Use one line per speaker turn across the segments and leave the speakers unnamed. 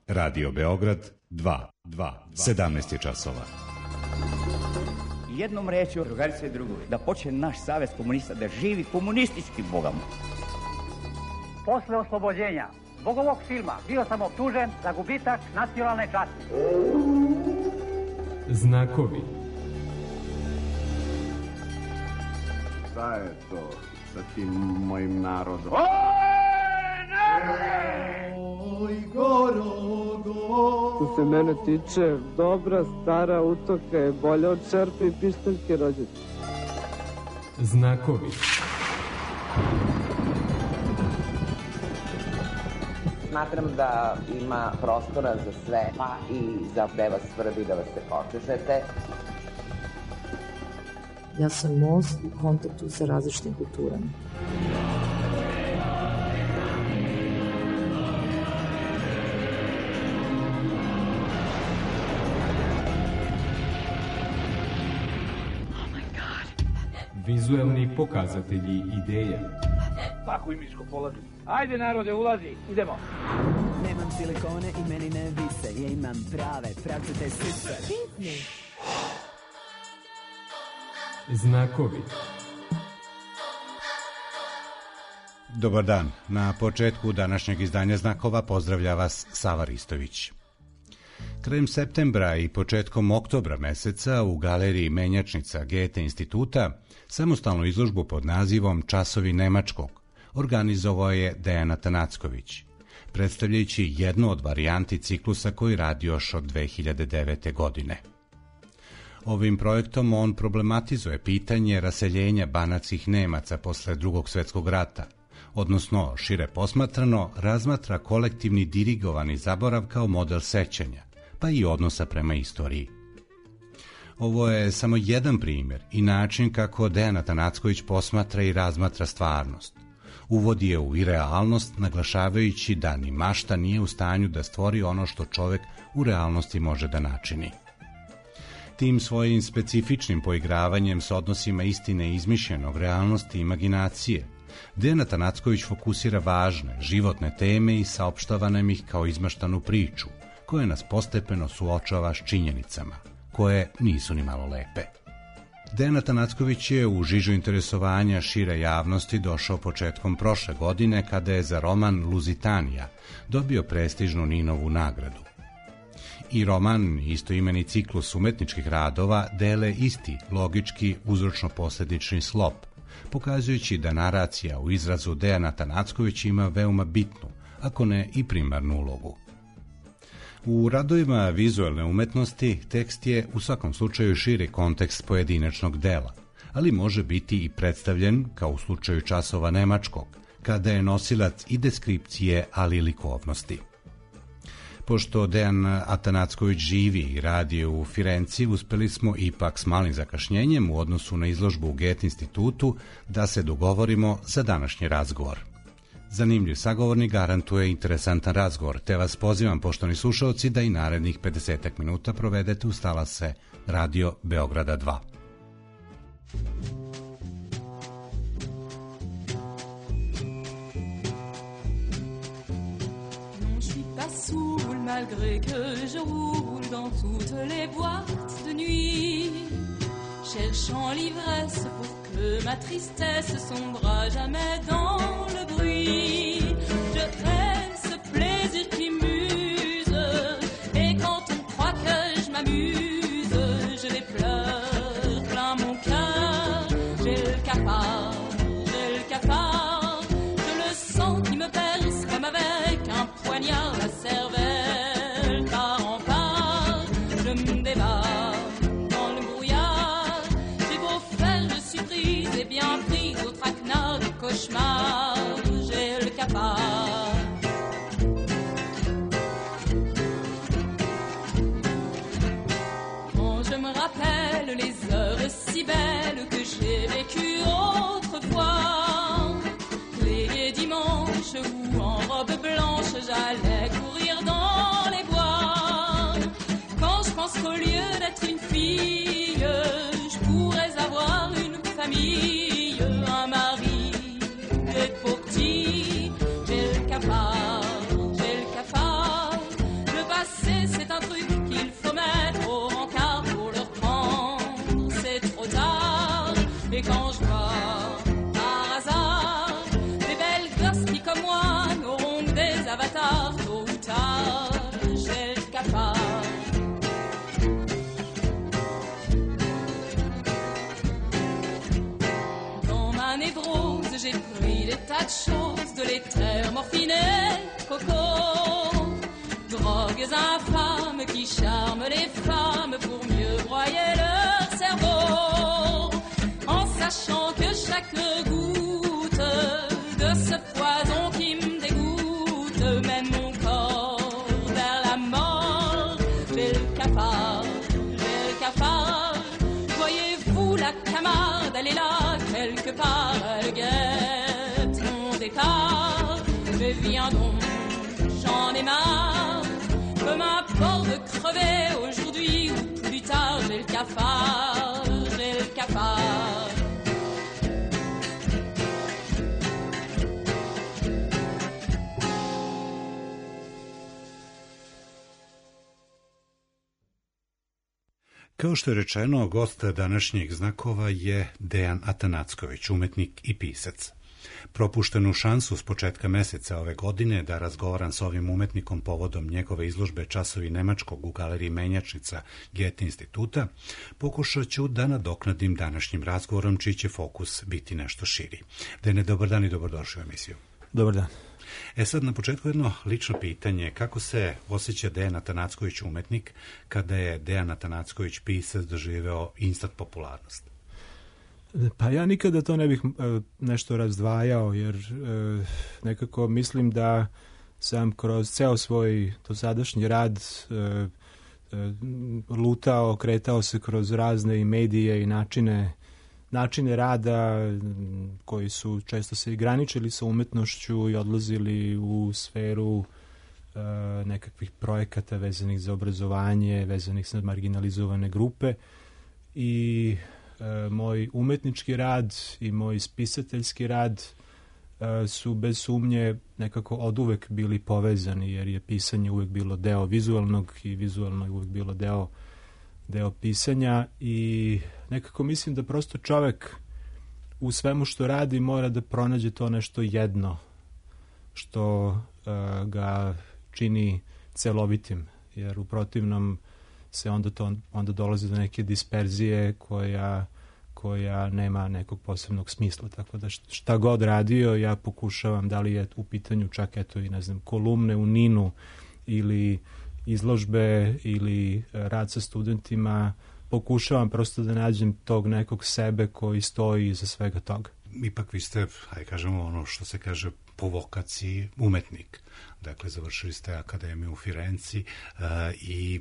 Radio Beograd 2, 17 je časova.
Jednom rečju, drugarice i drugovi, da počne naš savez komunista da živi komunistički bogom.
Posle oslobođenja zbog ovog filma bio sam optužen za gubitak nacionalne časti.
Znakovi.
Šta je to sa tim mojim narodom?
Oj,
Što se mene tiče, dobra stara utoka je bolja od šerpe i pištaljke rođete.
Znakovi.
Smatram da ima prostora za sve, pa i za gde vas svrbi da vas se počešete.
Ja sam most u kontaktu sa različitim kulturama.
Vizuelni pokazatelji ideja.
Tako i miško polazi. Ajde narode, ulazi, idemo.
Nemam silikone i meni ne vise, ja imam prave, pravcete sise.
Znakovi.
Dobar dan. Na početku današnjeg izdanja Znakova pozdravlja vas Sava Ristović. Krajem septembra i početkom oktobra meseca u galeriji Menjačnica Goethe instituta samostalnu izložbu pod nazivom Časovi nemačkog organizovao je Dejan Atanacković, predstavljajući jednu od varijanti ciklusa koji radi još od 2009. godine. Ovim projektom on problematizuje pitanje raseljenja banatskih Nemaca posle Drugog svjetskog rata, odnosno, šire posmatrano, razmatra kolektivni dirigovani zaborav kao model sećanja, pa i odnosa prema istoriji. Ovo je samo jedan primjer i način kako Dejan Atanacković posmatra i razmatra stvarnost. Uvodi je u irealnost, naglašavajući da ni mašta nije u stanju da stvori ono što čovek u realnosti može da načini. Tim svojim specifičnim poigravanjem s odnosima istine izmišljenog, realnosti i imaginacije, Dejan Atanacković fokusira važne, životne teme i saopštava nam ih kao izmaštanu priču, koja nas postepeno suočava s činjenicama, koje nisu ni malo lepe. Dejan Atanacković je u žižu interesovanja šire javnosti došao početkom prošle godine kada je za roman Luzitanija dobio prestižnu Ninovu nagradu. I roman, istoimeni ciklus umetničkih radova, dele isti logički uzročno-posledični slop, pokazujući da naracija u izrazu Dejana Atanackovića ima veoma bitnu, ako ne i primarnu ulogu. U radovima vizuelne umetnosti tekst je u svakom slučaju širi kontekst pojedinačnog dela, ali može biti i predstavljen, kao u slučaju Časova nemačkog, kada je nosilac i deskripcije, ali i likovnosti. Pošto Dejan Atanacković živi i radi u Firenci, uspeli smo ipak s malim zakašnjenjem u odnosu na izložbu u Goethe institutu da se dogovorimo za današnji razgovor. Zanimljiv sagovornik garantuje interesantan razgovor, te vas pozivam, poštovani slušalci, da i narednih 50 minuta provedete uz talase Radio Beograda 2.
Malgré que je roule dans toutes les boîtes de nuit, cherchant l'ivresse pour que ma tristesse sombre à jamais dans le bruit. Je traîne ce plaisir qui muse, et quand on croit que je m'amuse, je les pleure plein mon cœur. J'ai le cafard, je le sens qui me perce comme avec un poignard la cervelle. Bien pris au traquenard du cauchemar, j'ai le cafard. quelques infâmes qui charment les femmes pour mieux broyer leur cerveau, en sachant que chaque goutte de ce poison qui me dégoûte mène mon corps vers la mort. J'ai le cafard, voyez-vous la Camarde, elle est là quelque part, elle guette mon départ. Mais viens donc, j'en ai marre, peu m'importe de crever aujourd'hui ou plus tard. J'ai le cafard, j'ai le cafard.
Kao što je rečeno, gost današnjeg Znakova je Dejan Atanacković, umetnik i pisac. Propuštenu šansu s početka meseca ove godine da razgovaram s ovim umetnikom povodom njegove izložbe Časovi nemačkog u galeriji Menjačnica Goethe instituta, pokušat ću da nadoknadim današnjim razgovorom, čiji će fokus biti nešto širi. Dejane, dobar dan i dobrodošli u emisiju.
Dobar dan.
Sad na početku jedno lično pitanje. Kako se osjeća Dejan Atanacković umetnik kada je Dejan Atanacković pisac doživeo instant popularnost?
Pa ja nikada to ne bih nešto razdvajao, jer nekako mislim da sam kroz ceo svoj dosadašnji rad lutao, kretao se kroz razne i medije i načine rada koji su često se i graničili sa umetnošću i odlazili u sferu nekakvih projekata vezanih za obrazovanje, vezanih za marginalizovane grupe. I moj umetnički rad i moj spisateljski rad su bez sumnje nekako oduvek bili povezani, jer je pisanje uvek bilo deo vizualnog i vizualno je uvek bilo deo pisanja. I nekako mislim da prosto čovek u svemu što radi mora da pronađe to nešto jedno što ga čini celovitim, jer u protivnom se onda dolazi do neke disperzije koja nema nekog posebnog smisla. Tako da šta god radio, ja pokušavam, da li je u pitanju čak eto i ne znam kolumne u Ninu ili izložbe ili rad sa studentima, pokušavam prosto da nađem tog nekog sebe koji stoji iza svega toga.
Ipak vi ste, hajde kažemo ono što se kaže po vokaciji, umetnik. Dakle, završili ste akademiju u Firenci i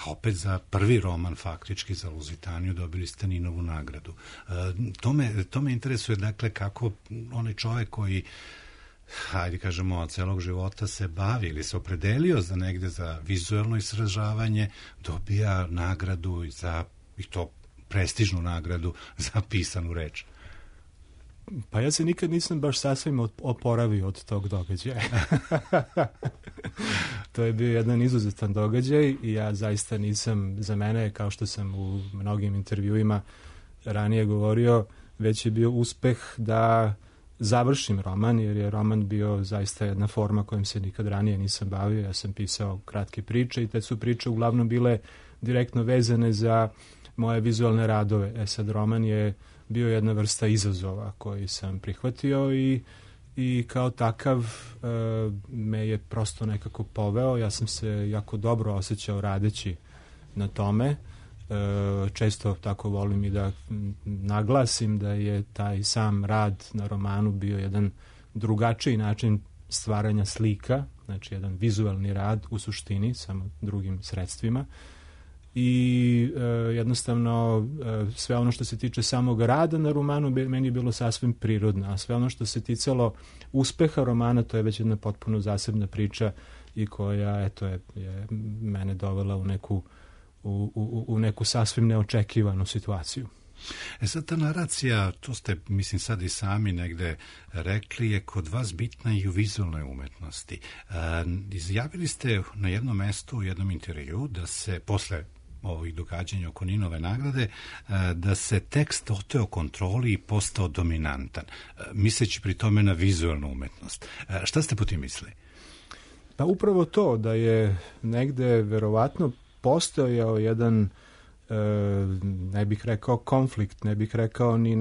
opet za prvi roman, faktički za Luzitaniju, dobili ste Ninovu nagradu. To me interesuje, dakle, kako onaj čovjek koji, hajde kažemo, od celog života se bavi ili se opredelio za negde za vizuelno istražavanje, dobija nagradu i to prestižnu nagradu za pisanu reč.
Pa ja se nikad nisam baš sasvim oporavio od tog događaja. To je bio jedan izuzetan događaj i ja zaista nisam, za mene, kao što sam u mnogim intervjuima ranije govorio, već je bio uspeh da završim roman, jer je roman bio zaista jedna forma kojom se nikad ranije nisam bavio. Ja sam pisao kratke priče i te su priče uglavnom bile direktno vezane za moje vizualne radove. Sad roman je bio jedna vrsta izazova koji sam prihvatio i kao takav me je prosto nekako poveo. Ja sam se jako dobro osjećao radeći na tome. Često tako volim i da naglasim da je taj sam rad na romanu bio jedan drugačiji način stvaranja slika, znači jedan vizualni rad u suštini, samo drugim sredstvima. I jednostavno sve ono što se tiče samog rada na romanu meni je bilo sasvim prirodno, a sve ono što se ticalo uspeha romana, to je već jedna potpuno zasebna priča i koja je mene dovela u neku sasvim neočekivanu situaciju.
Sad ta naracija, to ste, mislim, sad i sami negde rekli, je kod vas bitna i u vizualnoj umetnosti. Izjavili ste na jednom mestu u jednom intervju da se posle ovih događanja oko Ninove nagrade, da se tekst oteo kontroli i postao dominantan, misleći pri tome na vizualnu umetnost. Šta ste po tim mislili?
Pa upravo to, da je negde verovatno postojao jedan, ne bih rekao konflikt, ne bih rekao ni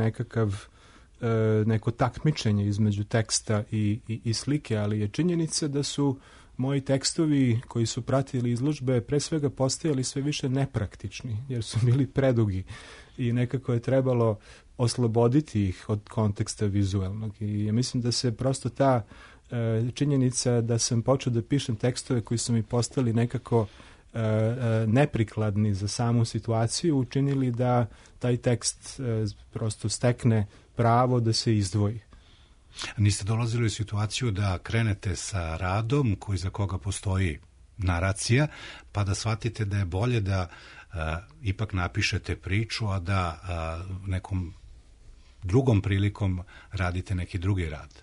neko takmičenje između teksta i slike, ali je činjenica moji tekstovi koji su pratili izložbe pre svega postajali sve više nepraktični, jer su bili predugi i nekako je trebalo osloboditi ih od konteksta vizualnog. I ja mislim da se prosto ta činjenica da sam počeo da pišem tekstove koji su mi postali nekako neprikladni za samu situaciju, učinili da taj tekst prosto stekne pravo da se izdvoji.
Niste dolazili u situaciju da krenete sa radom koji za koga postoji naracija, pa da shvatite da je bolje da ipak napišete priču, a da nekom drugom prilikom radite neki drugi rad?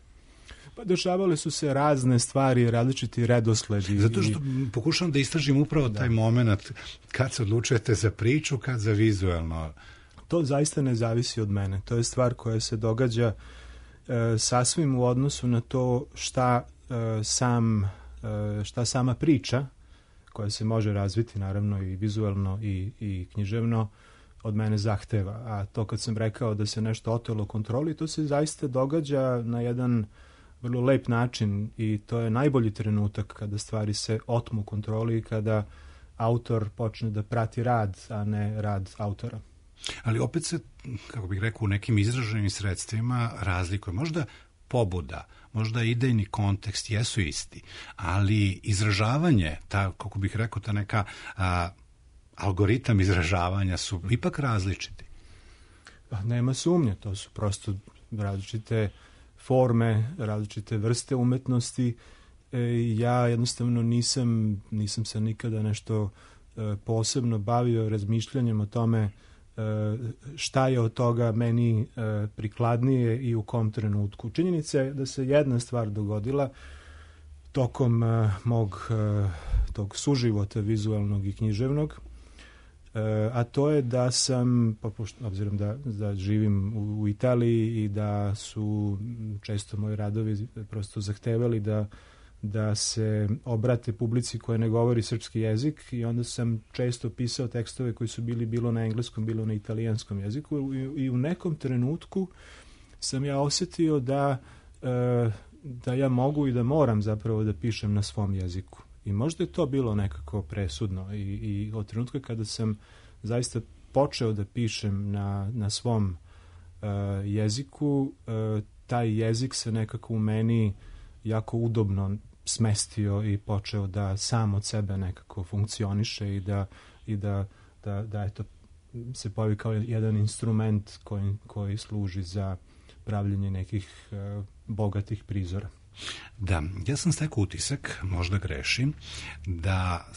Pa dešavale su se razne stvari, različiti redosledi.
Zato što pokušavam da istražim upravo taj moment kad se odlučujete za priču, kad za vizualno.
To zaista ne zavisi od mene. To je stvar koja se događa sasvim u odnosu na to šta sama priča, koja se može razviti naravno i vizualno i književno, od mene zahteva. A to kad sam rekao da se nešto otelo kontroli, to se zaista događa na jedan vrlo lep način i to je najbolji trenutak kada stvari se otmu kontroli i kada autor počne da prati rad, a ne rad autora.
Ali opet se, kako bih rekao, u nekim izraženim sredstvima razlikuje. Možda pobuda, možda idejni kontekst jesu isti, ali izražavanje, kako bih rekao, ta neka algoritam izražavanja su ipak različiti.
Nema sumnje, to su prosto različite forme, različite vrste umetnosti. Ja jednostavno nisam se nikada nešto posebno bavio razmišljanjem o tome šta je od toga meni prikladnije i u kom trenutku. Činjenica je da se jedna stvar dogodila tokom mog tog suživota vizualnog i književnog, a to je da sam, obzirom da živim u Italiji i da su često moji radovi prosto zahtevali da se obrate publici koja ne govori srpski jezik, i onda sam često pisao tekstove koji su bili bilo na engleskom, bilo na italijanskom jeziku, i u nekom trenutku sam ja osjetio da ja mogu i da moram zapravo da pišem na svom jeziku. I možda je to bilo nekako presudno i od trenutka kada sam zaista počeo da pišem na svom jeziku, taj jezik se nekako u meni jako udobno smestio i počeo da sam od sebe nekako funkcioniše i da eto, se pojavi kao jedan instrument koji služi za pravljenje nekih bogatih prizora.
Da, ja sam stekao utisak, možda grešim, da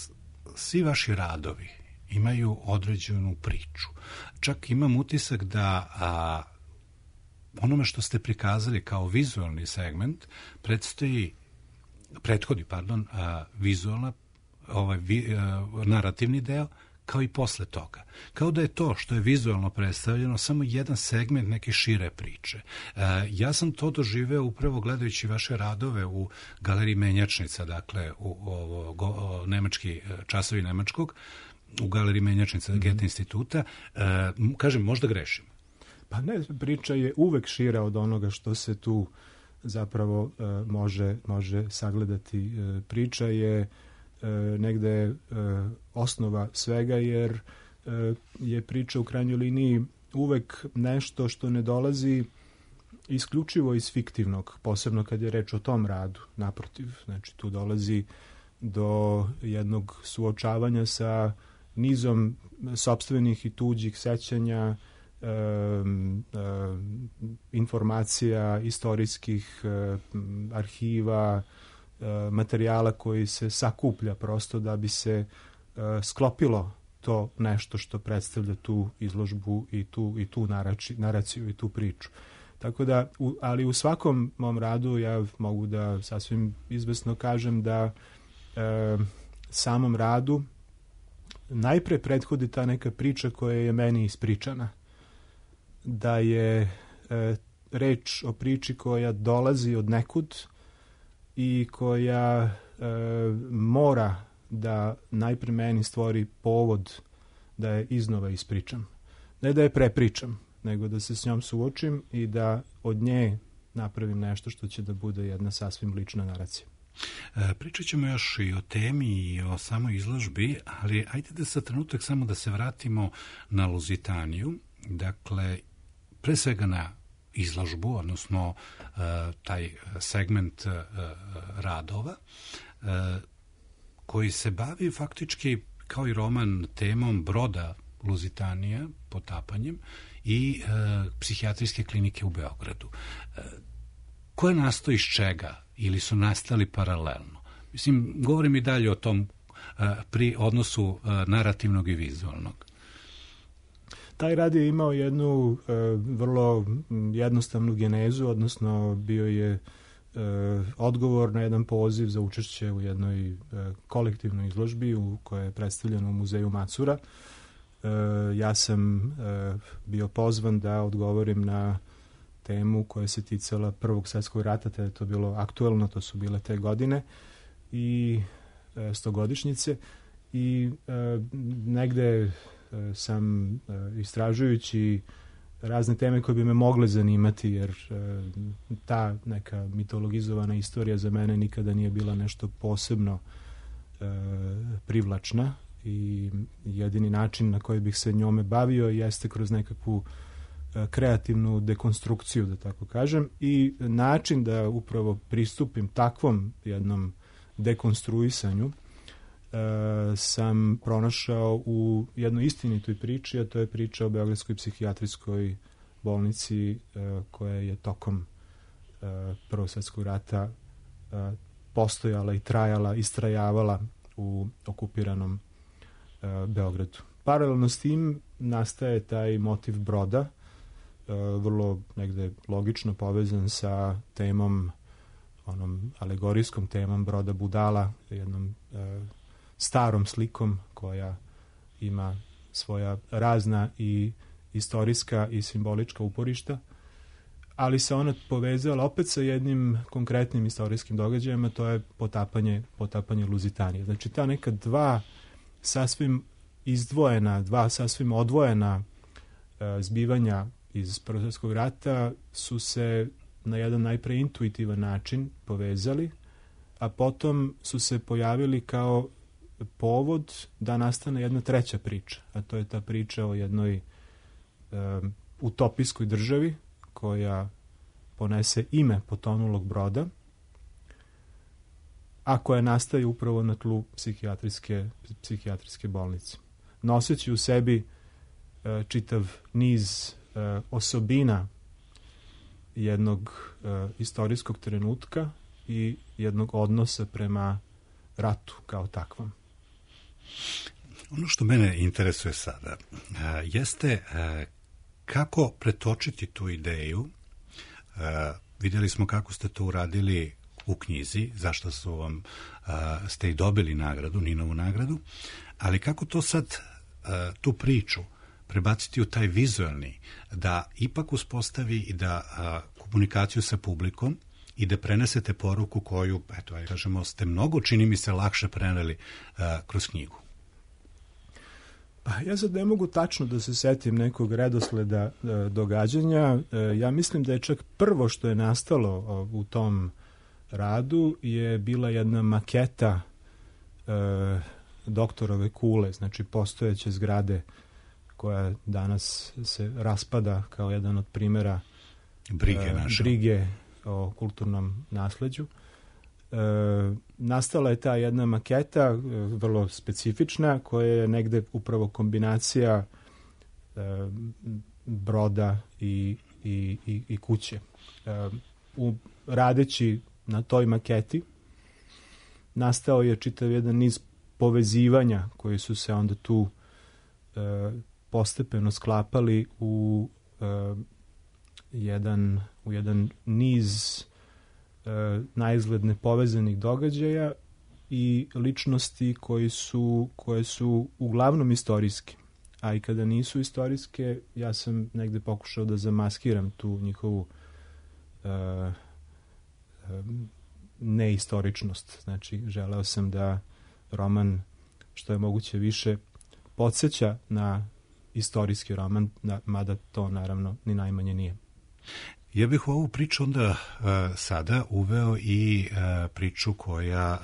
svi vaši radovi imaju određenu priču. Čak imam utisak da onome što ste prikazali kao vizualni segment prethodi vizualna, narativni deo, kao i posle toga. Kao da je to što je vizualno predstavljeno samo jedan segment neke šire priče. Ja sam to doživeo upravo gledajući vaše radove u Galeriji Menjačnica, dakle u nemački časovi nemačkog, u Galeriji Menjačnica Goethe instituta. Kažem, možda grešim.
Pa ne, priča je uvek šira od onoga što se tu zapravo može sagledati. Priča je negde osnova svega, jer je priča u krajnjoj liniji uvek nešto što ne dolazi isključivo iz fiktivnog, posebno kad je reč o tom radu. Naprotiv, znači tu dolazi do jednog suočavanja sa nizom sopstvenih i tuđih sećanja, informacija, istorijskih arhiva, materijala koji se sakuplja prosto da bi se sklopilo to nešto što predstavlja tu izložbu i tu naraciju i tu priču. Tako da, ali u svakom mom radu ja mogu da sasvim izvesno kažem da samom radu najpre prethodi ta neka priča koja je meni ispričana. Da je reč o priči koja dolazi od nekud i koja mora da najpre meni stvori povod da je iznova ispričam. Ne da je prepričam, nego da se s njom suočim i da od nje napravim nešto što će da bude jedna sasvim lična naracija.
Pričat ćemo još i o temi i o samoj izložbi, ali ajde da sa trenutak samo da se vratimo na Luzitaniju, dakle, pre svega na izložbu, odnosno taj segment radova, koji se bavi faktički, kao i roman, temom broda Luzitanija, potapanjem, i psihijatrijske klinike u Beogradu. Ko je nastao iz čega? Ili su nastali paralelno? Mislim, govorim i dalje o tom pri odnosu narativnog i vizualnog.
Taj rad je imao jednu vrlo jednostavnu genezu, odnosno bio je odgovor na jedan poziv za učešće u jednoj kolektivnoj izložbi koja je predstavljena u muzeju Macura. Ja sam bio pozvan da odgovorim na temu koja se ticala Prvog svjetskog rata, te je to bilo aktuelno, to su bile te godine i 100-godišnjice, i negde sam istražujući razne teme koje bi me mogle zanimati, jer ta neka mitologizovana istorija za mene nikada nije bila nešto posebno privlačna, i jedini način na koji bih se njome bavio jeste kroz nekakvu kreativnu dekonstrukciju, da tako kažem, i način da upravo pristupim takvom jednom dekonstruisanju sam pronašao u jednoj istinitoj priči, a to je priča o Beogradskoj psihijatrijskoj bolnici koja je tokom Prvog svjetskog rata postojala i trajala, istrajavala u okupiranom Beogradu. Paralelno s tim nastaje taj motiv broda, vrlo negde logično povezan sa temom, onom alegorijskom temom broda budala, jednom starom slikom koja ima svoja razna i istorijska i simbolička uporišta, ali se ona povezala opet sa jednim konkretnim istorijskim događajima, to je potapanje Luzitanije. Znači, ta neka dva sasvim izdvojena, dva sasvim odvojena zbivanja iz Prvog svjetskog rata su se na jedan najpre intuitivan način povezali, a potom su se pojavili kao povod da nastane jedna treća priča, a to je ta priča o jednoj utopijskoj državi koja ponese ime potonulog broda, a koja nastaje upravo na tlu psihijatrijske bolnice. Noseći u sebi čitav niz osobina jednog istorijskog trenutka i jednog odnosa prema ratu kao takvom.
Ono što mene interesuje sada jeste kako pretočiti tu ideju. Vidjeli smo kako ste to uradili u knjizi, zašto ste i dobili nagradu, Ninovu nagradu, ali kako to sad, tu priču, prebaciti u taj vizualni, da ipak uspostavi i da komunikaciju sa publikom i da prenesete poruku koju, eto, kažemo, ste mnogo, čini mi se, lakše preneli kroz knjigu.
Pa ja sad ne mogu tačno da se setim nekog redosleda događanja. Ja mislim da je čak prvo što je nastalo u tom radu je bila jedna maketa doktorove kule, znači postojeće zgrade koja danas se raspada kao jedan od primjera brige o kulturnom nasleđu. Nastala je ta jedna maketa, vrlo specifična, koja je negde upravo kombinacija broda i kuće. Radeći na toj maketi nastao je čitav jedan niz povezivanja koji su se onda tu postepeno sklapali u jedan niz naizgled nepovezanih događaja i ličnosti koje su uglavnom istorijske. A i kada nisu istorijske, ja sam negde pokušao da zamaskiram tu njihovu neistoričnost. Znači, želeo sam da roman što je moguće više podsjeća na istorijski roman, mada to naravno ni najmanje nije.
Ja bih u ovu priču onda sada uveo i priču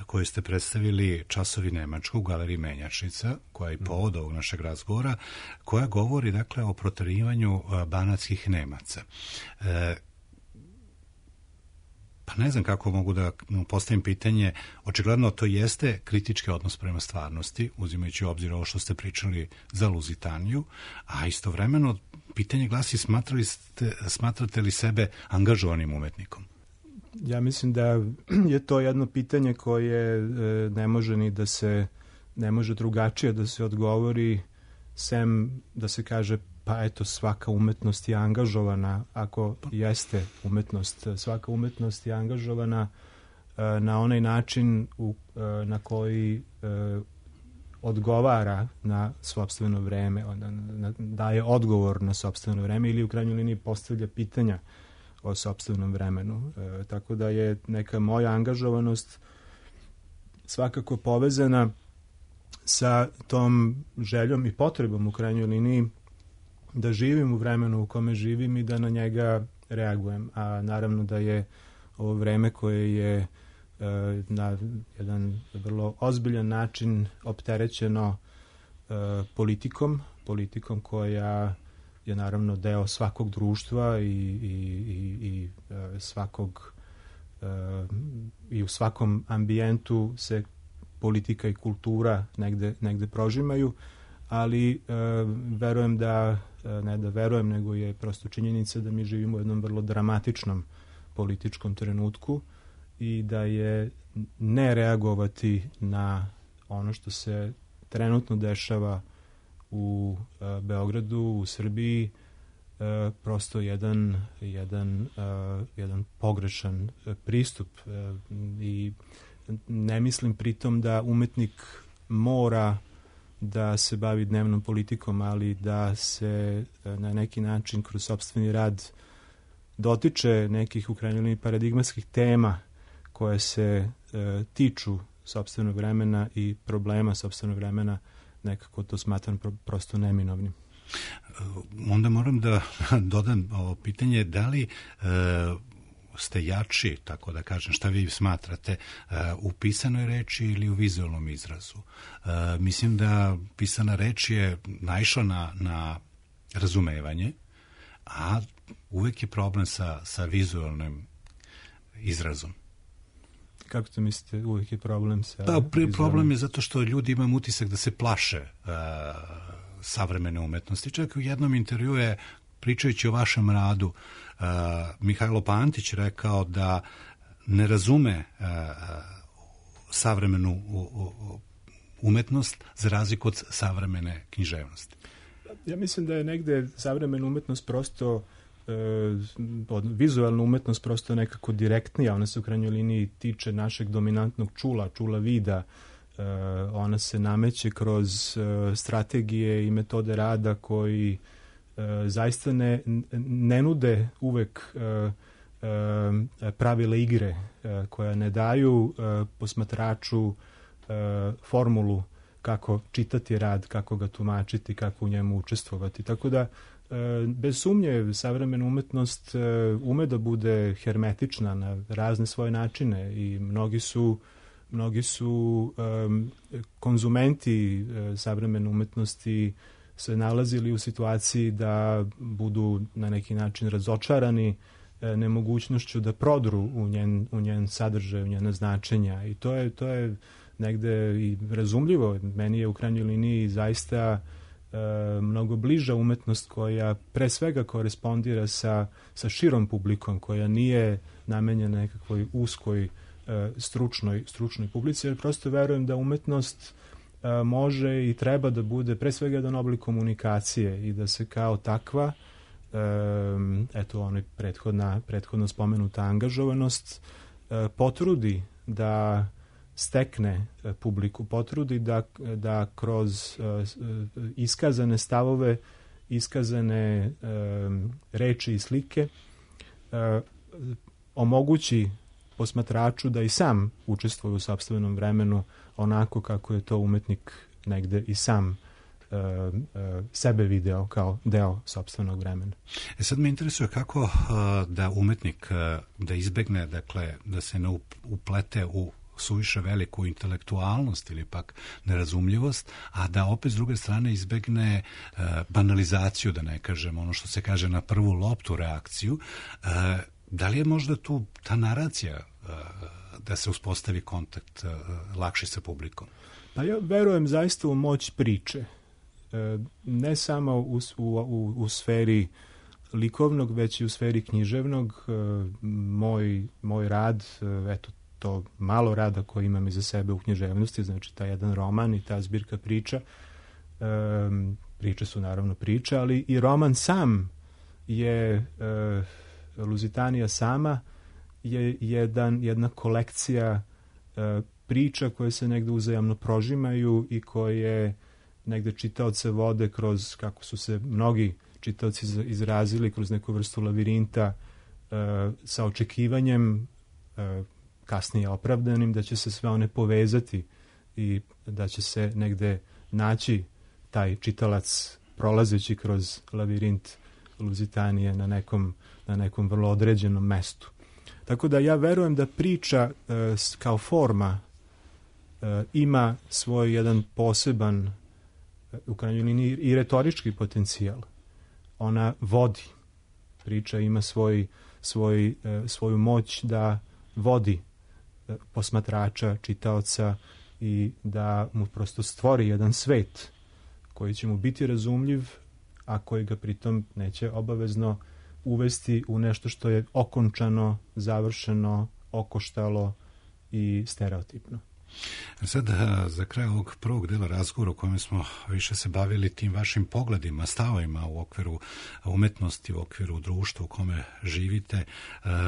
koju ste predstavili Časovi Nemačkog u galeriji Menjačnica, koja je povod ovog našeg razgovora, koja govori dakle o proterivanju banatskih Nemaca. Pa ne znam kako mogu da postavim pitanje, očigledno to jeste kritički odnos prema stvarnosti, uzimajući u obzir ovo što ste pričali za Luzitaniju, a istovremeno pitanje glasi smatrate li sebe angažovanim umetnikom?
Ja mislim da je to jedno pitanje koje ne može drugačije da se odgovori, sem da se kaže pa eto, svaka umetnost je angažovana, ako jeste umetnost, svaka umetnost je angažovana na onaj način na koji odgovara na sopstveno vreme, daje odgovor na sopstveno vreme ili u krajnjoj liniji postavlja pitanja o sopstvenom vremenu. Tako da je neka moja angažovanost svakako povezana sa tom željom i potrebom u krajnjoj liniji da živim u vremenu u kome živim i da na njega reagujem. A naravno da je ovo vreme koje je na jedan vrlo ozbiljan način opterećeno politikom koja je naravno deo svakog društva i svakog i u svakom ambijentu se politika i kultura negde prožimaju, ali verujem ne da verujem, nego je prosto činjenica da mi živimo u jednom vrlo dramatičnom političkom trenutku i da je ne reagovati na ono što se trenutno dešava u Beogradu, u Srbiji, prosto jedan pogrešan pristup. I ne mislim pritom da umetnik mora da se bavi dnevnom politikom, ali da se na neki način kroz sopstveni rad dotiče nekih u krajnjoj liniji paradigmatskih tema koje se tiču sopstvenog vremena i problema sopstvenog vremena, nekako to smatram prosto neminovnim.
Onda moram da dodam ovo pitanje, da li ste jači, tako da kažem, šta vi smatrate, u pisanoj reči ili u vizualnom izrazu? Mislim da pisana reč je naišla na razumevanje, a uvek je problem sa vizualnim izrazom.
Kako to mislite, uvijek je problem sa...
Problem je zato što ljudi imaju utisak da se plaše savremene umetnosti. Čak u jednom intervjuu je, pričajući o vašem radu, Mihajlo Pantić rekao da ne razume savremenu umetnost za razliku od savremene književnosti.
Ja mislim da je negde savremena umetnost prosto vizualna umetnost prosto nekako direktnija, ona se u krajnjoj liniji tiče našeg dominantnog čula vida, ona se nameće kroz strategije i metode rada koji zaista ne nude uvek pravila igre, koja ne daju posmatraču formulu kako čitati rad, kako ga tumačiti, kako u njemu učestvovati. Tako da bez sumnje savremena umetnost ume da bude hermetična na razne svoje načine i mnogi su konzumenti savremene umetnosti se nalazili u situaciji da budu na neki način razočarani nemogućnošću da prodru u njen sadržaj, u njena značenja, i to je negde i razumljivo. Meni je u krajnjoj liniji zaista mnogo bliža umetnost koja pre svega korespondira sa širom publikom, koja nije namenjena nekakvoj uskoj stručnoj publici, jer prosto verujem da umetnost može i treba da bude pre svega jedan oblik komunikacije i da se kao takva, eto ona prethodno spomenuta angažovanost, potrudi da stekne publiku, potrudi da kroz iskazane stavove, iskazane reči i slike omogući posmatraču da i sam učestvuje u sopstvenom vremenu onako kako je to umetnik negde i sam sebe video kao deo sopstvenog vremena.
Sad me interesuje kako da umetnik da izbegne, dakle, da se ne uplete u suviše veliku intelektualnost ili pak nerazumljivost, a da opet s druge strane izbegne banalizaciju, da ne kažem ono što se kaže na prvu loptu reakciju. Da li je možda tu ta naracija da se uspostavi kontakt lakši sa publikom?
Pa ja verujem zaista u moć priče. Ne samo u sferi likovnog, već i u sferi književnog. Moj rad, eto, to malo rada koji imam iza sebe u književnosti, znači taj jedan roman i ta zbirka priča. Priče su naravno priče, ali i roman sam je, Luzitanija sama je jedna kolekcija priča koje se negde uzajamno prožimaju i koje negde čitaoce vode kroz, kako su se mnogi čitaoci izrazili, kroz neku vrstu lavirinta sa očekivanjem, kasnije opravdanim, da će se sve one povezati i da će se negde naći taj čitalac prolazeći kroz lavirint Luzitanije na nekom vrlo određenom mestu. Tako da ja verujem da priča kao forma ima svoj jedan poseban, u krajnjoj liniji i retorički potencijal. Ona vodi. Priča ima svoju moć da vodi posmatrača, čitaoca i da mu prosto stvori jedan svet koji će mu biti razumljiv, a koji ga pritom neće obavezno uvesti u nešto što je okončano, završeno, okoštalo i stereotipno.
Sad, za kraj ovog prvog dela razgovora u kojem smo više se bavili tim vašim pogledima, stavovima u okviru umetnosti, u okviru društva u kome živite,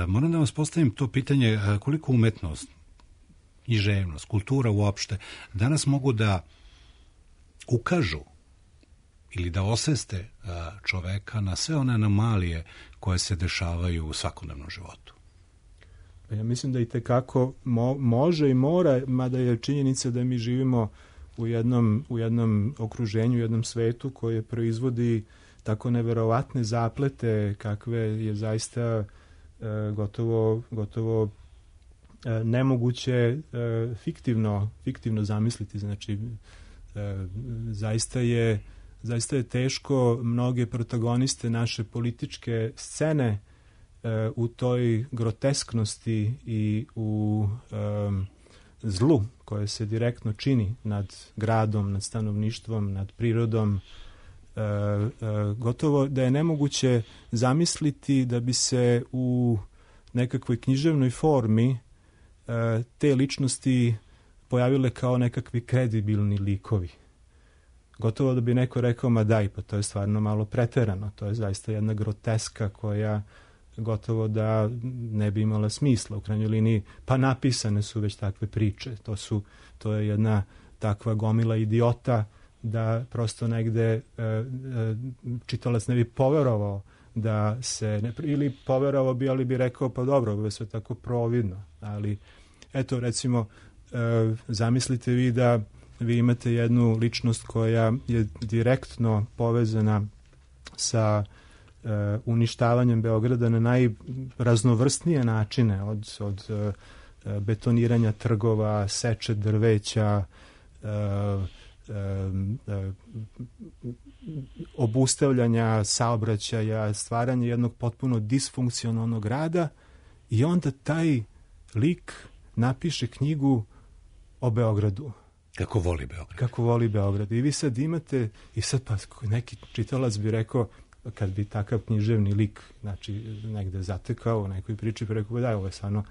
moram da vas postavim to pitanje koliko umetnost, književnost, kultura uopšte danas mogu da ukažu ili da osveste čoveka na sve one anomalije koje se dešavaju u svakodnevnom životu.
Ja mislim da i tekako može i mora, mada je činjenica da mi živimo u jednom okruženju, u jednom svetu koje proizvodi tako neverovatne zaplete kakve je zaista gotovo nemoguće fiktivno zamisliti. Znači, zaista je teško mnoge protagoniste naše političke scene u toj grotesknosti i u zlu koje se direktno čini nad gradom, nad stanovništvom, nad prirodom, gotovo da je nemoguće zamisliti da bi se u nekakvoj književnoj formi te ličnosti pojavile kao nekakvi kredibilni likovi. Gotovo da bi neko rekao, ma daj, pa to je stvarno malo preterano, to je zaista jedna groteska koja gotovo da ne bi imala smisla u krajnjoj liniji, pa napisane su već takve priče. To je jedna takva gomila idiota da prosto negde čitalac ne bi poverovao da se, ili poverovao bi, ali bi rekao, pa dobro, ovo je sve tako providno. Ali, eto, recimo, zamislite vi da vi imate jednu ličnost koja je direktno povezana sa uništavanjem Beograda na najraznovrstnije načine, od betoniranja trgova, seče drveća, obustavljanja saobraćaja, stvaranje jednog potpuno disfunkcionalnog grada, i onda taj lik napiše knjigu o Beogradu.
Kako voli Beograd.
Kako voli Beograd. I vi sad imate, i sad pa neki čitalac bi rekao, kad bi takav književni lik, znači, negde zatekao u nekoj priči, pa rekao, da, ovo je stvarno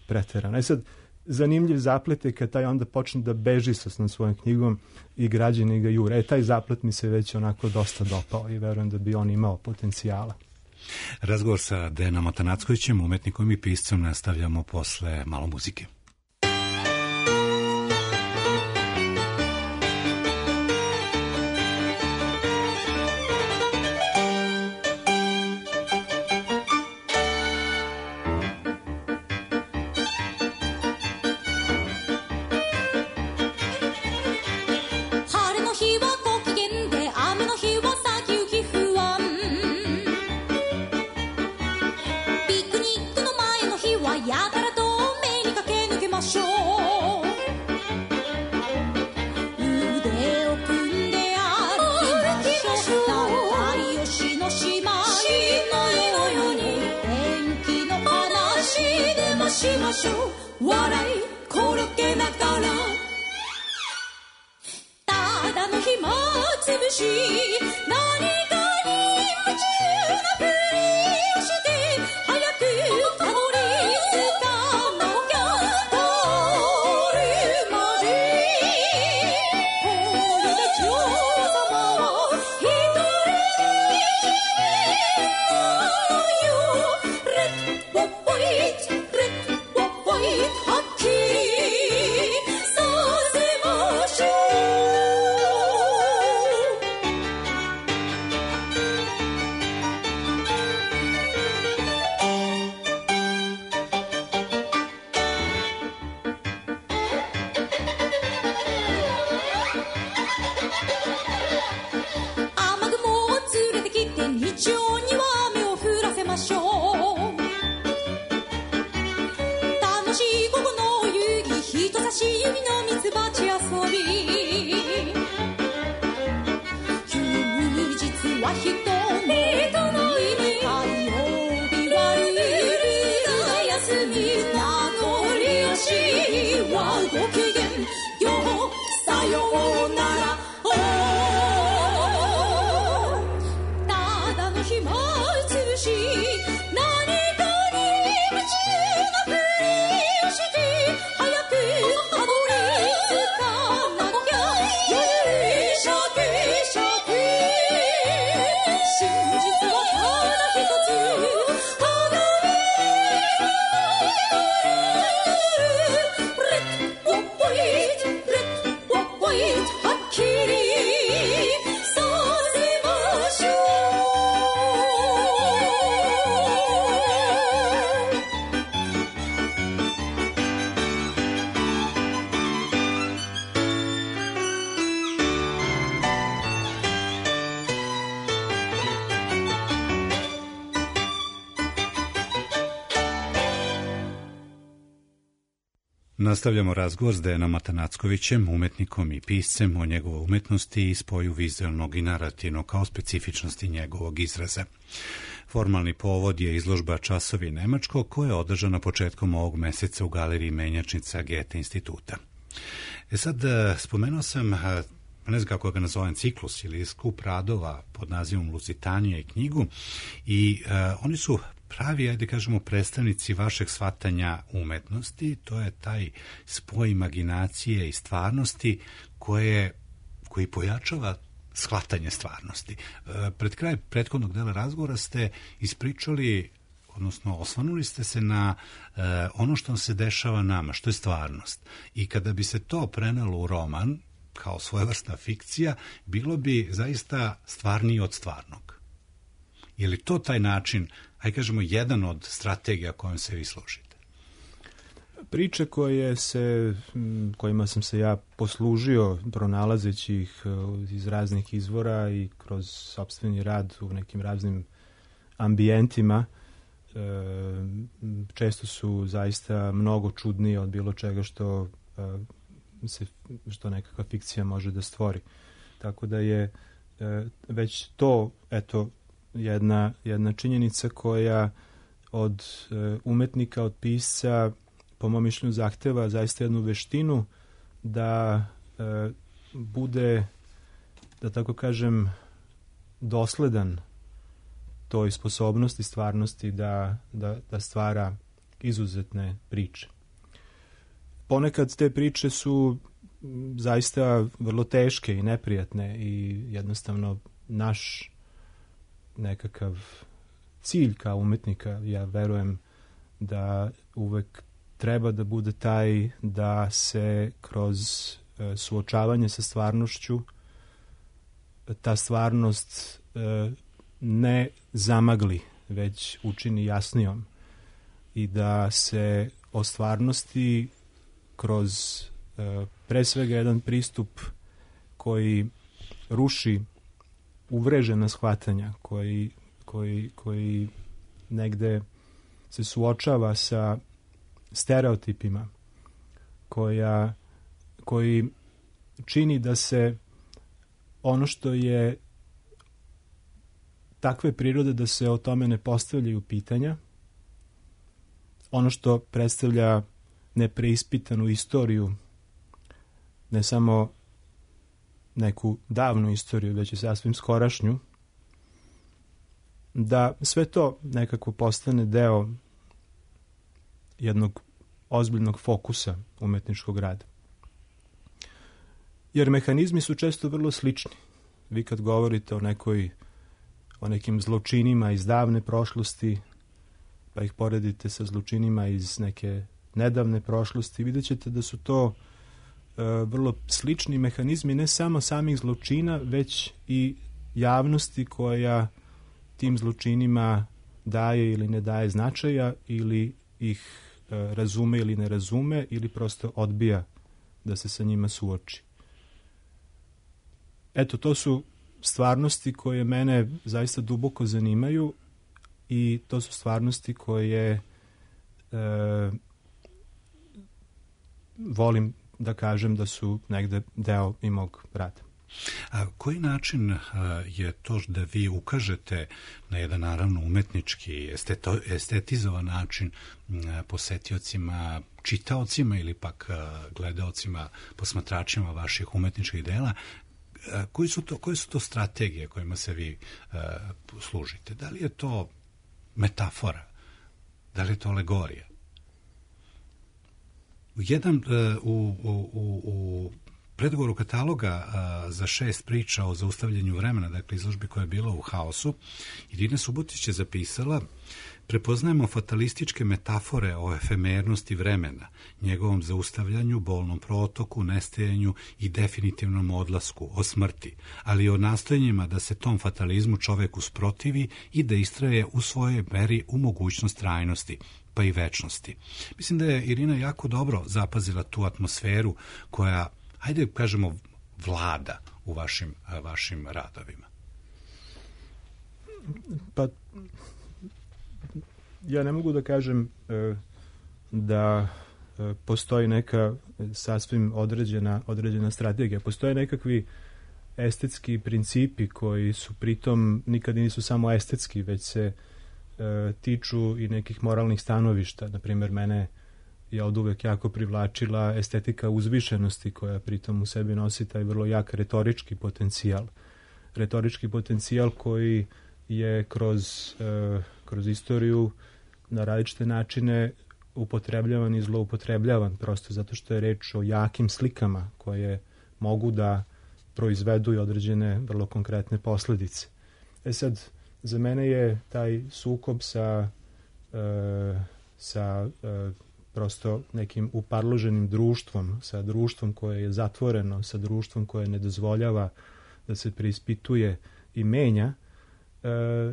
preterano. I sad, zanimljiv zaplet je kad taj onda počne da beži sa svojom knjigom i građani ga jure. Taj zaplet mi se već onako dosta dopao i verujem da bi on imao potencijala.
Razgovor sa Dejanom Atanackovićem, umetnikom i piscem, nastavljamo posle malo muzike.
春の日はご機嫌でましょう笑い転げながらただの暇つぶし何かに夢中なふりをして早くたどり着かなきゃゴールまでこれで女王様は一人きりなのよ Red or white Red or white はっきりさせましょう雨雲を連れてきて日曜には雨を降らせましょう楽しい午後の遊戯人差し指のミツバチ遊び休日は人の意味火曜日はルールが休み名残惜しいはご機嫌ようさようならただの暇つぶし何かに夢中なふりをして早くたどり着かなきゃよりシャキシャキ真実はただ一つ鏡レッドホイートレッドホイートはっきりさせましょう
Nastavljamo razgovor s Dejanom Atanackovićem, umetnikom i piscem, o njegovoj umetnosti i spoju vizualnog i narativnog kao specifičnosti njegovog izraza. Formalni povod je izložba Časovi nemačkog koja je održana početkom ovog meseca u galeriji Menjačnica Goethe instituta. Sad, spomenuo sam, ne znam kako ga nazovem, ciklus ili skup radova pod nazivom Luzitanija i knjigu i oni su pravi, ajde kažemo, predstavnici vašeg shvatanja umetnosti. To je taj spoj imaginacije i stvarnosti koji pojačava shvatanje stvarnosti. Pred kraj prethodnog dela razgovora ste ispričali, odnosno osvanuli ste se na ono što se dešava nama, što je stvarnost. I kada bi se to prenelo u roman, kao svojevrsna fikcija, bilo bi zaista stvarniji od stvarnog. Je li to taj način, ajde kažemo, jedan od strategija kojom se vi služite?
Priče kojima sam se ja poslužio, pronalazeći ih iz raznih izvora i kroz sopstveni rad u nekim raznim ambijentima, često su zaista mnogo čudnije od bilo čega što nekakva fikcija može da stvori. Tako da je već to, eto, jedna činjenica koja od umetnika, od pisca, po mom mišljenju, zahteva zaista jednu veštinu da bude, da tako kažem, dosledan toj sposobnosti, stvarnosti da stvara izuzetne priče. Ponekad te priče su zaista vrlo teške i neprijatne i jednostavno naš nekakav cilj kao umetnika, ja verujem da uvek treba da bude taj da se kroz suočavanje sa stvarnošću ta stvarnost ne zamagli, već učini jasnijom i da se o stvarnosti kroz pre svega jedan pristup koji ruši uvrežena shvatanja, koji negde se suočava sa stereotipima, koji čini da se ono što je takve prirode da se o tome ne postavljaju pitanja, ono što predstavlja nepreispitanu istoriju, ne samo neku davnu istoriju, već i sasvim skorašnju, da sve to nekako postane deo jednog ozbiljnog fokusa umetničkog rada. Jer mehanizmi su često vrlo slični. Vi kad govorite o nekim zločinima iz davne prošlosti, pa ih poredite sa zločinima iz neke nedavne prošlosti, vidjet ćete da su to vrlo slični mehanizmi ne samo samih zločina, već i javnosti koja tim zločinima daje ili ne daje značaja, ili ih razume ili ne razume, ili prosto odbija da se sa njima suoči. Eto, to su stvarnosti koje mene zaista duboko zanimaju i to su stvarnosti koje volim da kažem da su negde deo i mog rada.
A koji način je to da vi ukažete na jedan naravno umetnički, estetizovan način posetiocima, čitaocima ili pak gledaocima, posmatračima vaših umetničkih dela, koje su to strategije kojima se vi služite? Da li je to metafora? Da li je to alegorija? U predgovoru kataloga za 6 priča o zaustavljanju vremena, dakle izložbi koja je bila u Haosu, Irina Subotić je zapisala: prepoznajemo fatalističke metafore o efemernosti vremena, njegovom zaustavljanju, bolnom protoku, nestajanju i definitivnom odlasku, o smrti, ali i o nastojanjima da se tom fatalizmu čovek usprotivi i da istraje u svojoj meri u mogućnost trajnosti, pa i večnosti. Mislim da je Irina jako dobro zapazila tu atmosferu koja, hajde kažemo, vlada u vašim radovima.
Pa ja ne mogu da kažem da postoji neka sasvim određena strategija. Postoje nekakvi estetski principi koji su pritom nikad nisu samo estetski, već se tiču i nekih moralnih stanovišta. Naprimjer, mene je od uvek jako privlačila estetika uzvišenosti koja pritom u sebi nosi taj vrlo jak retorički potencijal. Retorički potencijal koji je kroz istoriju na različite načine upotrebljavan i zloupotrebljavan, prosto zato što je reč o jakim slikama koje mogu da proizvedu i određene vrlo konkretne posledice. Sad, za mene je taj sukob sa prosto nekim uparloženim društvom, sa društvom koje je zatvoreno, sa društvom koje ne dozvoljava da se preispituje i menja,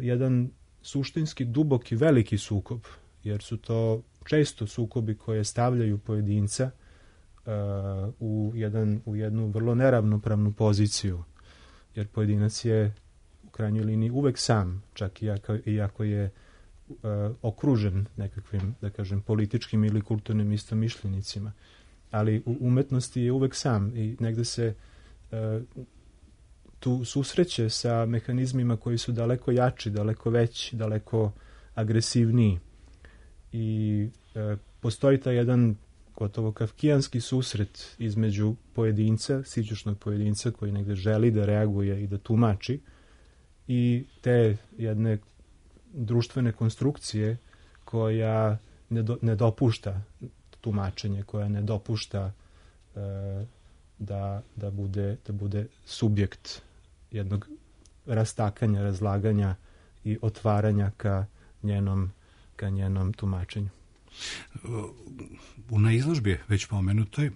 jedan suštinski duboki veliki sukob, jer su to često sukobi koje stavljaju pojedinca u jednu vrlo neravnopravnu poziciju, jer pojedinac je u krajnjoj liniji uvek sam, čak i ako je okružen nekakvim, da kažem, političkim ili kulturnim istomišljenicima. Ali u umetnosti je uvek sam i negde se tu susreće sa mehanizmima koji su daleko jači, daleko veći, daleko agresivniji. I postoji taj jedan gotovo kafkijanski susret između pojedinca, sićušnog pojedinca koji negde želi da reaguje i da tumači, i te jedne društvene konstrukcije koja ne dopušta tumačenje, koja ne dopušta da bude subjekt jednog rastakanja, razlaganja i otvaranja ka njenom tumačenju.
Na izložbi već pomenutoj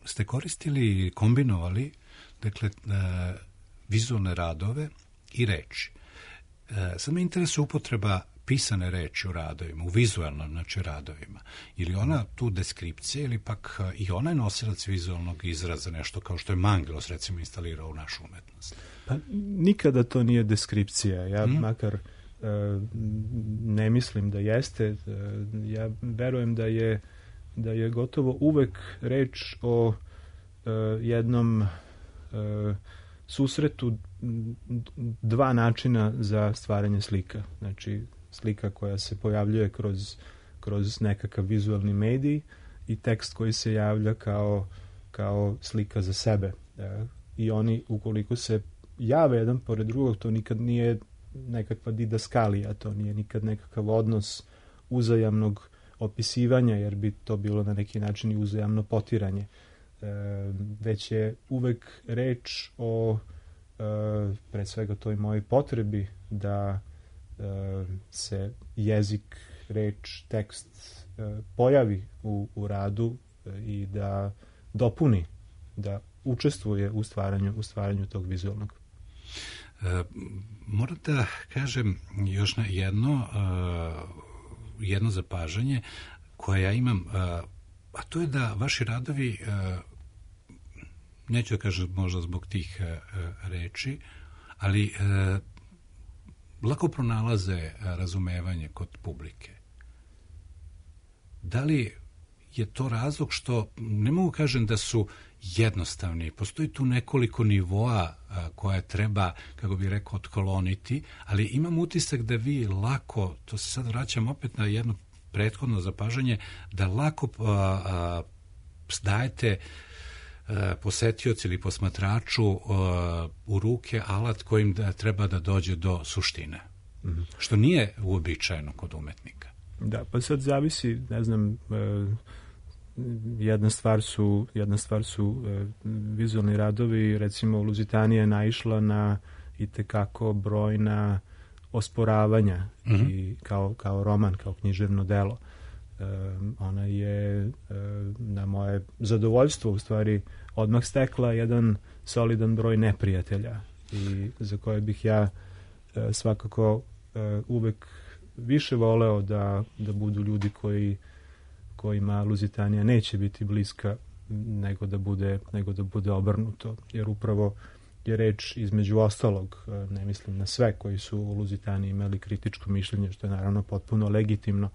ste koristili i kombinovali, dakle, vizualne radove i reči. Sad me interesuje upotreba pisane reči u radovima, u vizualnom, znači, radovima. Ili ona tu deskripcija, ili pak i ona je nosilac vizualnog izraza, nešto kao što je Mangelos, recimo, instalirao u našu umetnost?
Pa nikada to nije deskripcija. Ja makar ne mislim da jeste. Ja verujem da je gotovo uvek reč o jednom susretu dva načina za stvaranje slika. Znači, slika koja se pojavljuje kroz nekakav vizualni medij i tekst koji se javlja kao slika za sebe. I oni, ukoliko se jave jedan pored drugog, to nikad nije nekakva didaskalija, to nije nikad nekakav odnos uzajamnog opisivanja, jer bi to bilo na neki način i uzajamno potiranje. Već je uvek reč o pre svega toj mojoj potrebi da se jezik, reč, tekst pojavi u radu i da dopuni, da učestvuje u stvaranju tog vizualnog.
Moram da kažem još na jedno zapažanje koje ja imam, a to je da vaši radovi, neću da kažem možda zbog tih reči, ali lako pronalaze razumevanje kod publike. Da li je to razlog što, ne mogu kažem da su jednostavni, postoji tu nekoliko nivoa koje treba, kako bih rekao, otkoloniti, ali imam utisak da vi lako, to se sad vraćam opet na jedno prethodno zapažanje, da lako dajete posetioci ili posmatraču u ruke alat kojim treba da dođe do suštine, što nije uobičajeno kod umetnika.
Da, pa sad zavisi, ne znam, jedna stvar su vizualni radovi, recimo Luzitanija je naišla na itekako brojna osporavanja i kao roman, kao književno delo. Ona je na moje zadovoljstvo u stvari odmah stekla jedan solidan broj neprijatelja i za koje bih ja svakako uvek više voleo da budu ljudi kojima Luzitanija neće biti bliska nego da bude obrnuto, jer upravo je reč između ostalog, ne mislim na sve koji su u Luzitaniji imali kritičko mišljenje, što je naravno potpuno legitimno,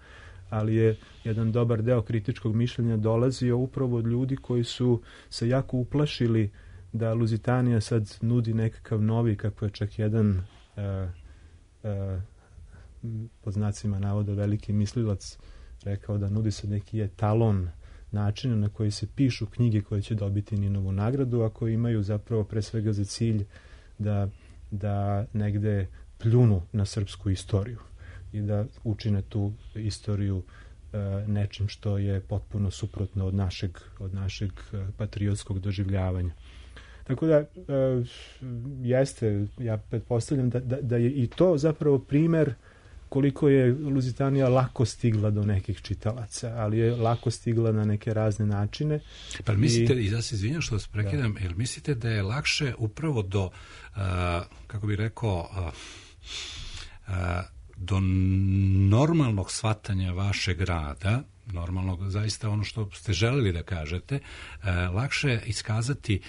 ali je jedan dobar deo kritičkog mišljenja dolazio upravo od ljudi koji su se jako uplašili da Luzitanija sad nudi nekakav novi, kako je čak jedan pod znacima navoda veliki mislilac rekao da nudi se neki etalon načina na koji se pišu knjige koje će dobiti Ninovu nagradu, a koji imaju zapravo pre svega za cilj da negde pljunu na srpsku istoriju i da učine tu istoriju nečim što je potpuno suprotno od našeg patriotskog doživljavanja. Tako da jeste, ja pretpostavljam da je i to zapravo primer koliko je Luzitanija lako stigla do nekih čitalaca, ali je lako stigla na neke razne načine.
Pa mislite, i da se izvinjam što vas prekidam, jer mislite da je lakše upravo do, kako bih rekao, do normalnog shvatanja vašeg rada, normalnog, zaista ono što ste želeli da kažete, lakše iskazati,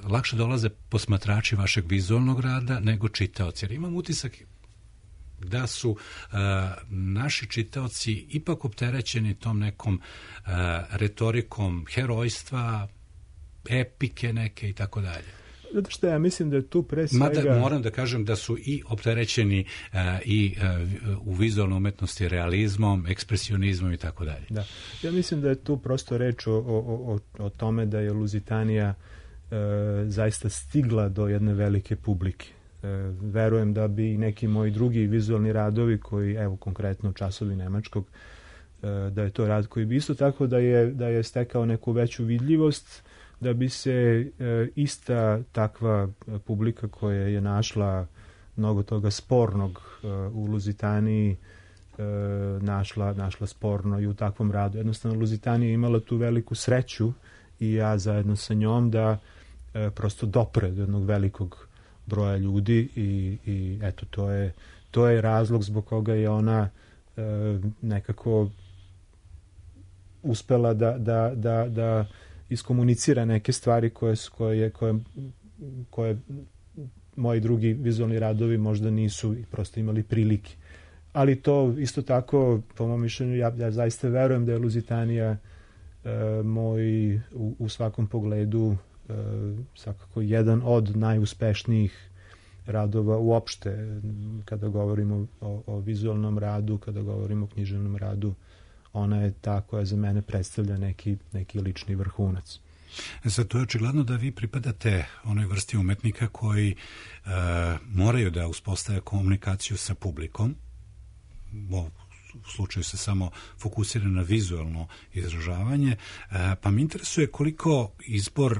lakše dolaze posmatrači vašeg vizualnog rada nego čitaoci. Jer imam utisak da su naši čitaoci ipak opterećeni tom nekom retorikom herojstva, epike neke i tako dalje.
Zato što ja mislim da je tu pre svega...
Mada moram da kažem da su i opterećeni i u vizualnoj umetnosti realizmom, ekspresionizmom i tako dalje.
Da. Ja mislim da je tu prosto reč o tome da je Luzitanija zaista stigla do jedne velike publike. Verujem da bi neki moji drugi vizualni radovi koji, evo konkretno Časovi nemačkog, da je to rad koji bi isto tako da je stekao neku veću vidljivost, da bi se ista takva publika koja je našla mnogo toga spornog u Luzitaniji našla sporno i u takvom radu. Jednostavno Luzitanija je imala tu veliku sreću i ja zajedno sa njom da prosto dopre do jednog velikog broja ljudi i eto to je razlog zbog koga je ona nekako uspela da iskomunicira neke stvari koje moji drugi vizualni radovi možda nisu i prosto imali prilike. Ali to isto tako, po mom mišljenju, ja zaista verujem da je Luzitanija moj u svakom pogledu svakako jedan od najuspešnijih radova uopšte kada govorimo o vizualnom radu, kada govorimo o književnom radu ona je ta koja za mene predstavlja neki lični vrhunac.
Sad, to je očigledno da vi pripadate onoj vrsti umetnika koji moraju da uspostave komunikaciju sa publikom. U slučaju se samo fokusira na vizualno izražavanje, pa me interesuje koliko izbor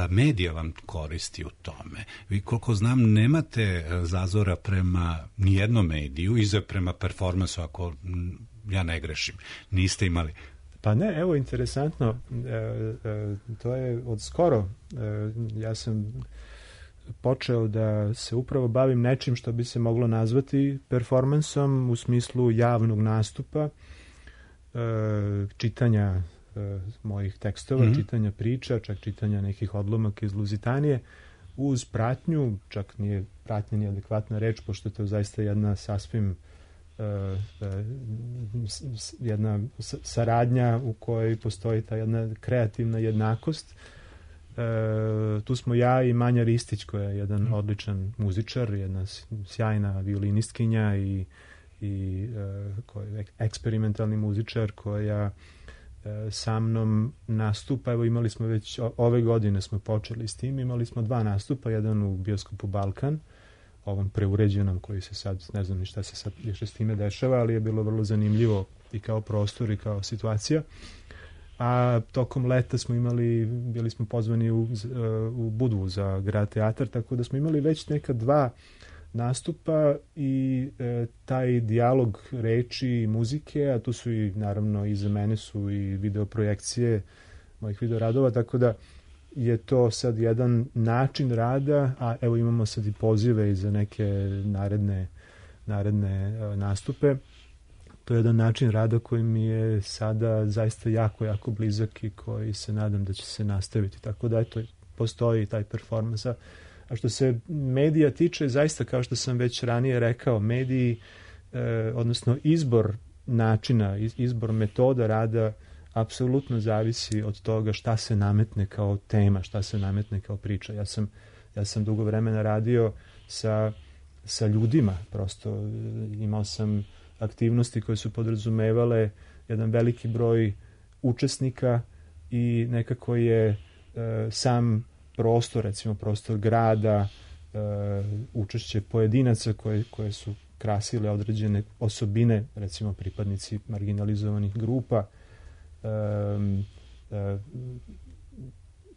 medija vam koristi u tome. Vi, koliko znam, nemate zazora prema nijednom mediju, iza prema performansu, ako ja ne grešim. Niste imali.
Pa ne, evo, interesantno, to je od skoro. Ja sam počeo da se upravo bavim nečim što bi se moglo nazvati performansom u smislu javnog nastupa, čitanja mojih tekstova, čitanja priča, čak čitanja nekih odlomaka iz Luzitanije, uz pratnju, čak nije pratnja ni adekvatna reč, pošto je to zaista jedna sasvim jedna saradnja u kojoj postoji ta jedna kreativna jednakost. Tu smo ja i Manja Ristić, koja je jedan odličan muzičar, jedna sjajna violinistkinja i koja je eksperimentalni muzičar, koja sa mnom nastupa. Evo, imali smo već ove godine smo počeli s tim, imali smo 2 nastupa, jedan u bioskopu Balkan, ovom preuređenom, koji se sad, ne znam ni šta se sad više s time dešava, ali je bilo vrlo zanimljivo i kao prostor i kao situacija. A tokom leta bili smo pozvani u Budvu za Grad teatar, tako da smo imali već neka 2 nastupa i taj dijalog reči i muzike, a tu su i naravno iza mene su i videoprojekcije mojih videoradova, tako da je to sad jedan način rada, a evo imamo sad i pozive i za neke naredne nastupe. To je jedan način rada koji mi je sada zaista jako, jako blizak i koji se nadam da će se nastaviti. Tako da eto, postoji taj performans. A što se medija tiče, zaista, kao što sam već ranije rekao, mediji, odnosno izbor načina, izbor metoda rada apsolutno zavisi od toga šta se nametne kao tema, šta se nametne kao priča. Ja sam dugo vremena radio sa ljudima, prosto imao sam aktivnosti koje su podrazumevale jedan veliki broj učesnika i nekako je sam prostor, recimo prostor grada, učešće pojedinaca koje su krasile određene osobine, recimo pripadnici marginalizovanih grupa.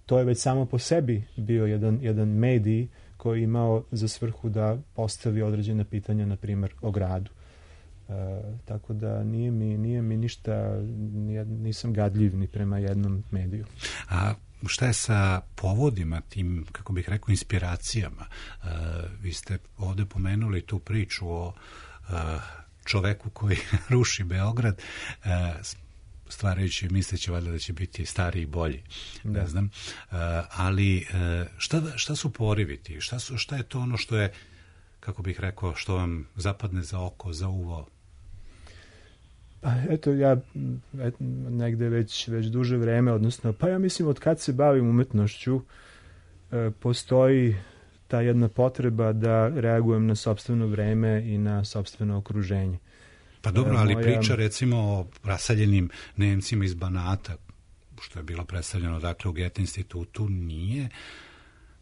To je već samo po sebi bio jedan medij koji je imao za svrhu da postavi određene pitanja, na primjer, o gradu. Tako da nije mi ništa, nisam gadljiv ni prema jednom mediju.
A šta je sa povodima, tim, kako bih rekao, inspiracijama? Vi ste ovde pomenuli tu priču o čoveku koji ruši Beograd, stvarajući, misleći valjda da će biti stariji i bolji, ne znam. Ali šta su porivi? Šta je to ono što je, kako bih rekao, što vam zapadne za oko, za uvo?
Eto, ja negde već duže vreme, odnosno, pa ja mislim od kad se bavim umetnošću, postoji ta jedna potreba da reagujem na sopstveno vreme i na sopstveno okruženje.
Pa dobro, ali priča recimo o raseljenim Nemcima iz Banata, što je bilo predstavljeno dakle u Goethe institutu, nije,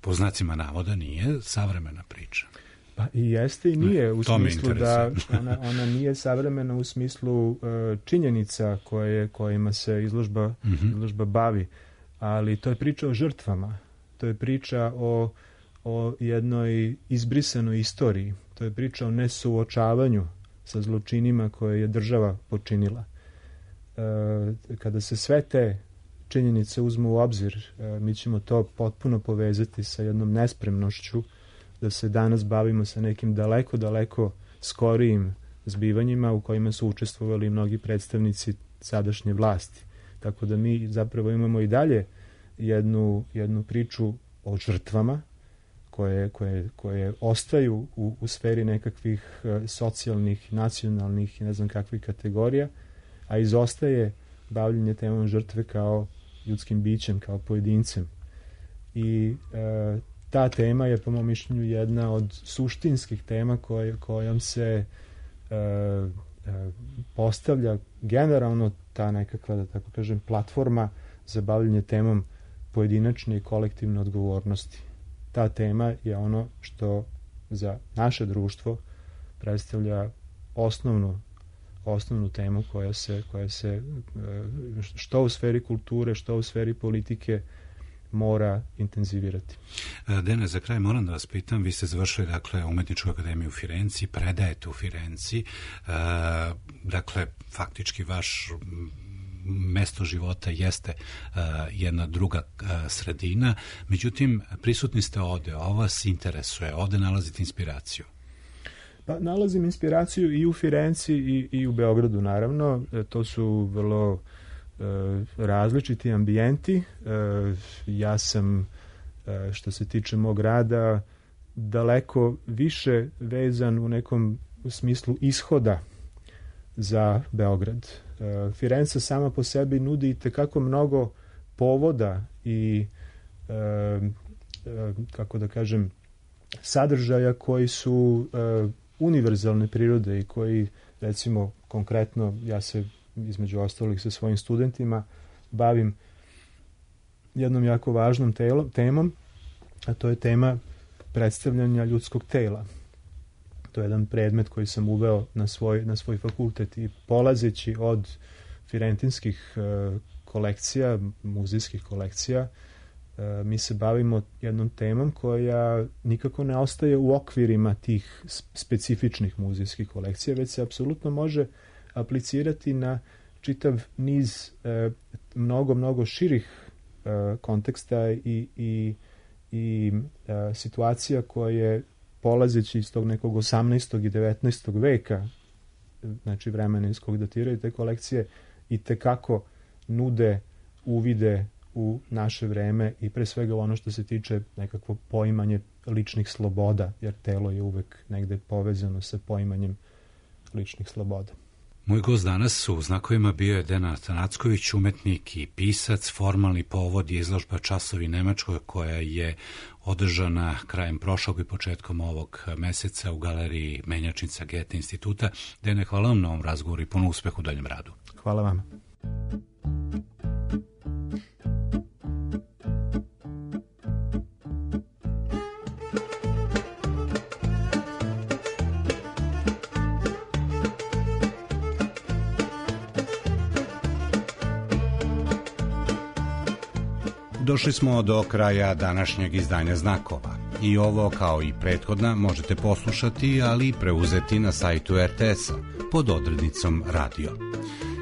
po znacima navoda, nije savremena priča.
Pa i jeste i nije, u smislu da ona nije savremena u smislu činjenica kojima se izložba bavi, ali to je priča o žrtvama, to je priča o jednoj izbrisanoj istoriji, to je priča o nesuočavanju sa zločinima koje je država počinila. Kada se sve te činjenice uzmu u obzir, mi ćemo to potpuno povezati sa jednom nespremnošću da se danas bavimo sa nekim daleko skorijim zbivanjima u kojima su učestvovali mnogi predstavnici sadašnje vlasti. Tako da mi zapravo imamo i dalje jednu priču o žrtvama koje ostaju u sferi nekakvih socijalnih, nacionalnih i ne znam kakvih kategorija, a izostaje bavljenje temom žrtve kao ljudskim bićem, kao pojedincem. I ta tema je, po mom mišljenju, jedna od suštinskih tema kojom se postavlja generalno ta nekakva, da tako kažem, platforma za bavljanje temom pojedinačne i kolektivne odgovornosti. Ta tema je ono što za naše društvo predstavlja osnovnu temu koja se što u sferi kulture, što u sferi politike mora intenzivirati.
Dene, za kraj moram da vas pitam, vi ste završili Umetničku akademiju u Firenci, predajete u Firenci, dakle faktički vaš mesto života jeste jedna druga sredina, međutim prisutni ste ovde, ovo vas interesuje, ovde nalazite inspiraciju.
Pa nalazim inspiraciju i u Firenci i u Beogradu, naravno. To su vrlo različiti ambijenti. Ja sam, što se tiče mog rada, daleko više vezan u nekom smislu ishoda za Beograd. Firenca sama po sebi nudi itekako mnogo povoda i, kako da kažem, sadržaja koji su univerzalne prirode i koji, recimo, konkretno, ja se između ostalih sa svojim studentima bavim jednom jako važnom temom, a to je tema predstavljanja ljudskog tela. To je jedan predmet koji sam uveo na svoj fakultet i polazeći od firentinskih kolekcija, muzejskih kolekcija, mi se bavimo jednom temom koja nikako ne ostaje u okvirima tih specifičnih muzejskih kolekcija, već se apsolutno može aplicirati na čitav niz mnogo širih konteksta i situacija koje, polazeći iz tog nekog 18. i 19. veka, znači vremena iz kog datiraju te kolekcije, i tekako nude uvide u naše vreme i pre svega ono što se tiče nekakvo poimanje ličnih sloboda, jer telo je uvek negde povezano sa poimanjem ličnih sloboda.
Moj gost danas u Znakovima bio je Denan Atanacković, umetnik i pisac. Formalni povod je izložba Časovi Nemačkoj koja je održana krajem prošlog i početkom ovog meseca u galeriji Menjačnica Goethe instituta. Dene, hvala vam na ovom razgovoru i puno uspeha u daljem radu.
Hvala vam.
Došli smo do kraja današnjeg izdanja Znakova. I ovo, kao i prethodna, možete poslušati, ali i preuzeti na sajtu RTS-a pod odrednicom Radio.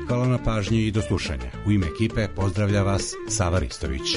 Hvala na pažnji i do slušanja. U ime ekipe pozdravlja vas Sava Ristović.